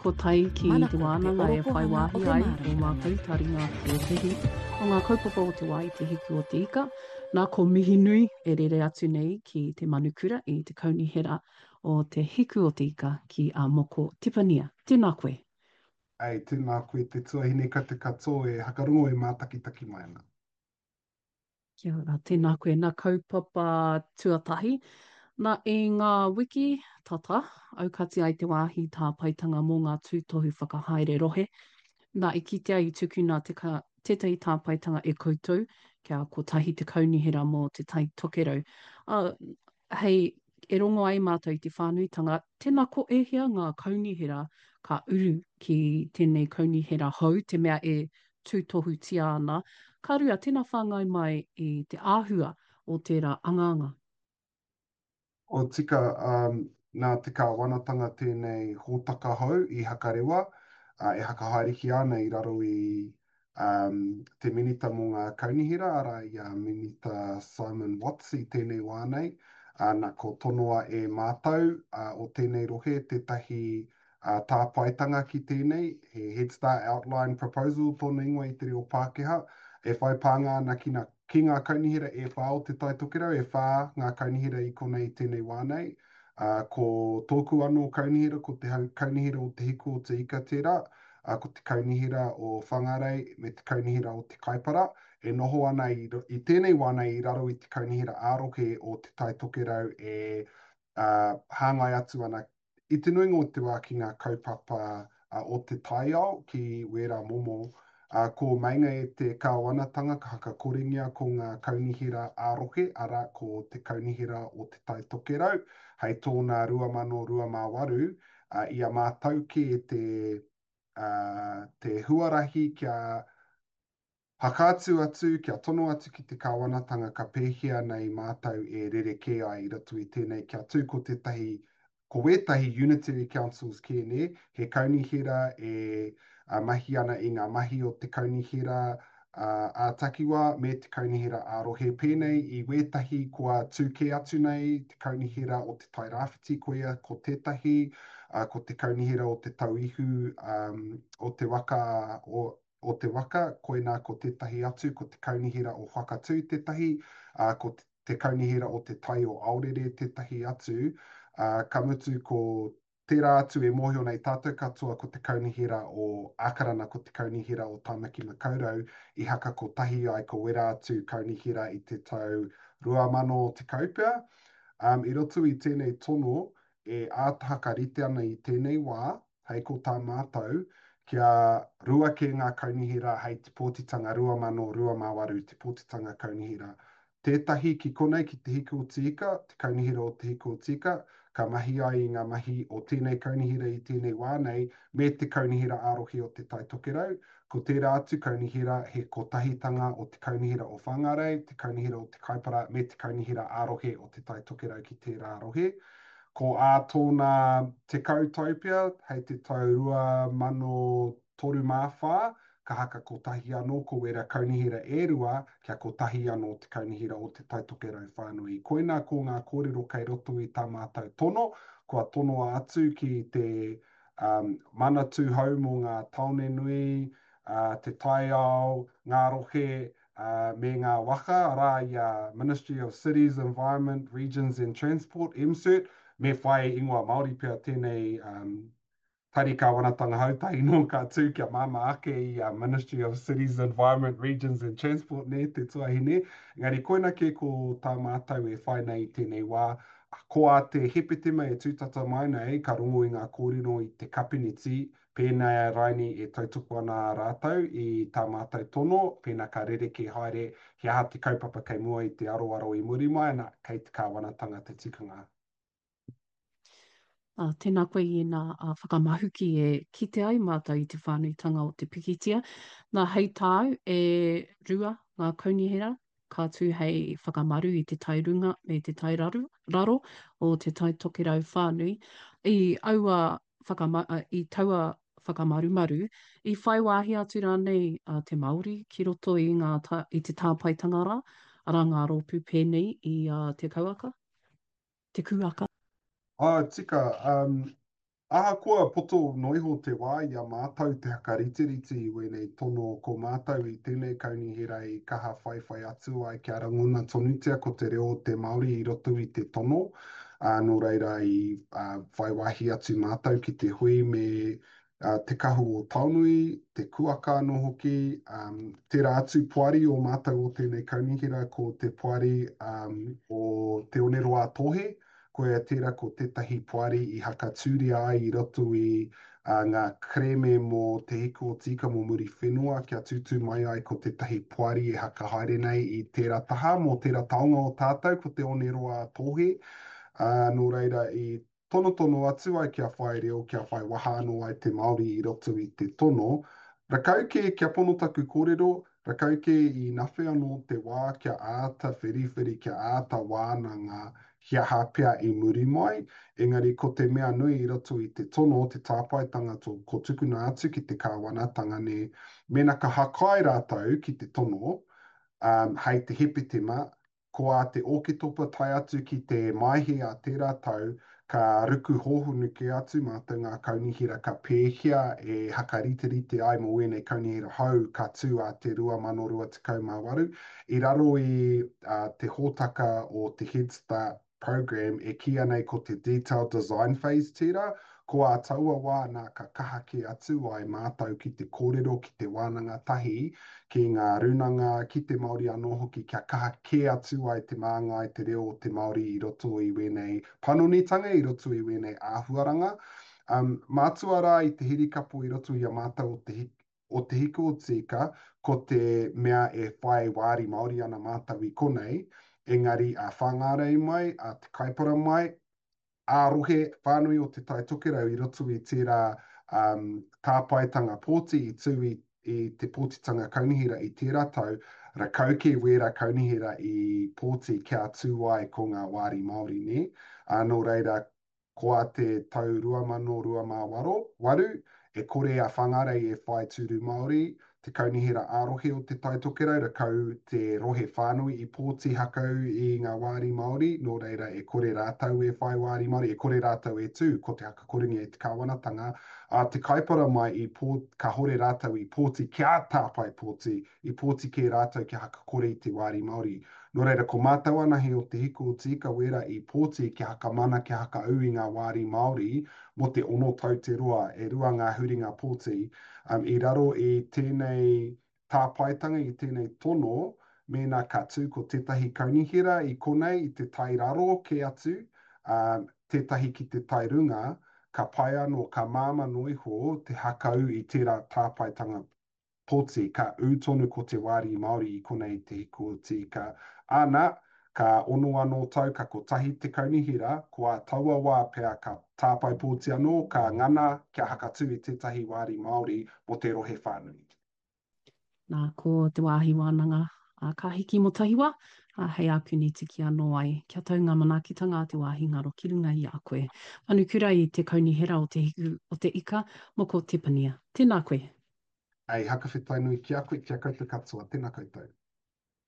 Ko tai ki te Manako te wānanga e whai orokohanga o wāhi te ai ō māramatanga. mātou taringa ki ētahi o ngā kaupapa o te wā i Te Hiku o Te Ika. Nā, ko Mihinui e rere atu nei ki te manukura i te kaunihera o Te Hiku o Te Ika ki a Moko Tipania. Tēnā koe. Ei, tēnā koe te tuahine ka te katoa e hakarongo e mātakitaki mai ana. Kia ora, tēnā koe. Nā kaupapa tuatahi, nā i ngā wiki tata, aukati ai te wāhi tāpaetanga mō ngā tūtohu whakahaere rohe. Nā, i kitea i tukuna te ka, tētahi tāpaetanga e koutou kia kotahi te kaunihera mō Te Tai Tokerau. Ā, hei, e rongo ai mātou i te whānuitanga, tēnā ko ēhea ngā kaunihera ka uru ki tēnei kaunihera hou, te mea e tūtohutia ana, ka rua, tēnā whāngai mai i te āhua o tērā angaanga. O tika, nā te kāwanatanga tēnei hōtaka hou i Hakarewa, e hakahaerehia ana i raro i te Minita mō ngā Kaunihera, arā i a Minita Simon Watts i tēnei wā nei. Nā, ko tonoa e mātou o tēnei rohe tētahi tāpaetanga ki tēnei, he Head Start Outline Proposal tōna ingoa i te reo Pākehā, e whai pānga ana ki ngā, ki ngā kaunihera e whā o Te Tai Tokerau, e whā ngā kaunihera i konei i tēnei wā nei. Ā, ko tōku anō kaunihera, ko te Kaunihera o Te Hiku o Te Ika tērā, ā, ko te Kaunihera o Whangarei me te Kaunihera o Te Kaipara, e noho ana i, i tēnei wā nei i raro i te Kaunihera ā-rohe o Te Tai Tokerau e, ā, hāngai atu ana I te nuinga o te wā ki ngā kaupapa o te taiao, ki wērā momo, ko meinga e te kāwanatanga ka hakakorengia ko ngā kaunihera ā-rohe, arā, ko te Kaunihera o Te Tai Tokerau, hei tōna 2028, i a mātou kē te, te huarahi kia Whakaatu atu, kia tono atu ki te kāwanatanga ka pēhea nei mātou e rerekē ai i roto i tēnei kia tū ko tētahi, ko wētahi unitary councils kē nē, he kaunihera e mahi ana i ngā mahi o te kaunihera ā-takiwā me te kaunihera ā-rohe pēnei i wētahi kua tū kē atu nei te kaunihera o Te Tai Rāwhiti koia ko tētahi, ko te kaunihera o Te Tauihu o te waka o o te waka, koinā ko tētahi atu, ko te Kaunihera o Whakatū tētahi, ā, ko te Kaunihera o Te Tai o Aorere tētahi atu, ā, ka mutu ko tērā atu e mōhio nei tātou katoa ko te Kaunihera o Ākarana, ko te Kaunihera o Tāmaki Makaurau i haka kotahi ai ko wērā atu kaunihera i te tau 2010 pea. Ā, i roto i tēnei tono e āta hakarite ana i tēnei wā, Hei ko tā mātou, kia rua kē ngā kaunihera hei te pōtitanga 2028, te pōtitanga kaunihera. Tētahi ki konei ki Te Hiku o Te Ika, te kaunihera o Te Hiku o Te Ika, ka mahi ai i ngā mahi o tēnei kaunihera i tēnei wā nei, me te kaunihera ā-rohe o Te Tai Tokerau. Ko tērā atu kaunihera he kotahitanga o te kaunihera o Whāngārei, te kaunihera o Te Kaipara me te kaunihera ā-rohe o Te Tai Tokerau ki tērā rohe. Ko ā tōna 10 tau pea, hei te tau 2034, ka haka kotahi anō ko wērā kaunihera e rua, kia kotahi anō te kaunihera o Te Tai Tokerau whānui. Koinā ko ngā kōrero kei roto i tā mātou tono, kua tonoa atu ki te um, Manatū hou mō ngā tāone nui, uh, te taiao, ngā rohe, ā, me ngā waka, arā, i a Ministry of Cities, Environment, Regions and Transport, MCERT, me whai ingoa Māori pea tēnei um, tari kāwanatanga hou tahi nō ka tū kia māmā ake i a Ministry of Cities, Environment, Regions and Transport, nē, te tuahine. Engari koina kē ko tā mātou e whai nei i tēnei wā, ko ā te Hepetema e tūtata mai nei, ka rongo i ngā kōrero i te kapineti, Pēnā rainī e tautoko ana rātou i tā mātou tono, pēnā ka rerekē haere he aha te kaupapa kei mua i te aroaro i muri mai, ana, kei te kāwanatanga te tikanga. Ā, tēnā koe i ēnā whakamahuki e kite ai mātou i te whānuitanga o te pikitia. Nā, hei tāu, e rua ngā kaunihera ka tū hei whakamaru i te tai runga me te tai raru, raro o Te Tai Tokerau whānui. I aua whakama, i taua whakamarumaru, i whai wāhi atu rānei a te Māori ki roto i ngā tā, i te tāpaetanga rā, arā ngā rōpū pēnei i a Te Kauaka, Te Kūaka? Oh, tika. Um, Ahakoa poto noa iho te wā i a mātou te hakariterite i wēnei tono, ko mātou i tēnei kaunihera i kaha whaiwhai atu ai kia rangona tonutia ko te reo o te Māori i roto i te tono, ā, nō reira i whai wāhi atu mātou ki te hui me Te Kahu o Taonui, Te Kuaka anō hoki, tērā atu poari o mātou o tēnei kaunihera ko te poari o Te Oneroa-a-Tōhe, Koia tērā ko tētahi poari i hakatūria ai i roto i ngā kerēme mō Te Hiku o Te Ika mō Muriwhenua kia tūtū mai ai ko tētahi poari e hakahaere nei i tērā taha mō tērā taonga o tātou ko Te Oneroa-a-Tōhe. Ā, nō reira i tonotono atu ai kia whai reo, kia whai waha anō ai te Māori i roto i te tono. Rakau kē, kia pono taku kōrero, Rakau kē i nawhe anō te wā kia āta whiriwhiri, kia āta wānanga he aha pea i muri mai, engari ko te mea nui i roto i te tono, te tāpaetanga to, ko tukuna atu ki te kāwanatanga nē, mēnā ka hakai rātou ki te tono, um, hei te Hepetema, Ko ā te Ōketopa tae atu ki te Maehe a tērā tau, ka ruku hōhonu kē atu mātou ngā kaunihera ka pēhea e hakariterite ai mō ēnei kaunihera hou ka tū ā te 2028. I raro i te hōtaka o te Head Start Programme e kīia nei ko te Detailed Design Phase tērā, ko ā taua wā nā ka kaha kē atu ai mātou ki te kōrero, ki te wānanga tahi ki ngā rūnanga, ki te Māori anō hoki kia kaha kē atu ai te māngai, te reo o te Māori i roto i wēnei panonitanga, i roto i wēnei āhuaranga. Um, mātua rā i te hirikapo i roto i a mātou o te o Te Hiku o Tīka, ko te mea e whai wāri Māori ana mātou i konei, engari a Whāngārei mai, a Te Kaipara mai, ā-rohe whānui o Te Tai Tokerau i roto i tērā um, tāpaetanga pōti i tū i, i te pōtitanga kaunihera i tērā tau, rakau kē wērā kaunihera i pōti kia tū ai ko ngā wāri Māori, nē? Ā, nō reira, Ko a te tau 2028, e kore a Whangarei e whai tūru Māori, te Kaunihera ā-Rohe o Te Tai Tokerau, rakau te rohe whānui i pōti hakau i ngā wāri Māori, nō reira e kore rātou e whai wāri Māori, e kore rātou e tū, ko te hakakorengia e te kāwanatanga, a Te Kaipara mai i pō, kahore rātou i pōti kia tāpae pōti, i pōti kē rātou kia hakakore i te wāri Māori. Nō reira, ko mātou anahe o Te Hiku o Te Ika wērā i pōti kia hakamana, kia hakaū i ngā wāri Māori mō te ono tau te roa, e rua ngā huringa pōti. Um, i raro i tēnei tāpaetanga, i tēnei tono, mēnā ka tū ko tētahi kaunihera i konei i te tai raro kē atu, um, tētahi ki te tai runga, ka pai anō, ka māmā noa iho te hakaū i tērā tāpaetanga poti, ka ū tonu ko te wāri Māori i konei te hiku o Tīka. Āna, ka ono anō tau, ka kotahi te kaunihera, ko ā taua wā pea ka tāpae pōti anō, ka ngana kia hakatū i tētahi wāri Māori mō te rohe whānui. Nā, ko te wāhi wānanga a Ka Hiki Mō Tahiwa, ā, hei ākuni tiki anō ai, kia tau ngā manaakitanga a te wāhi ngaro ki runga i a koe. Manukura i te Kaunihera o Te Hiku o Te Ika, Moko Tepania. Tēnā koe. Hei hakawhetai nui ki a koe, ki a koutou katoa. Tena koutou.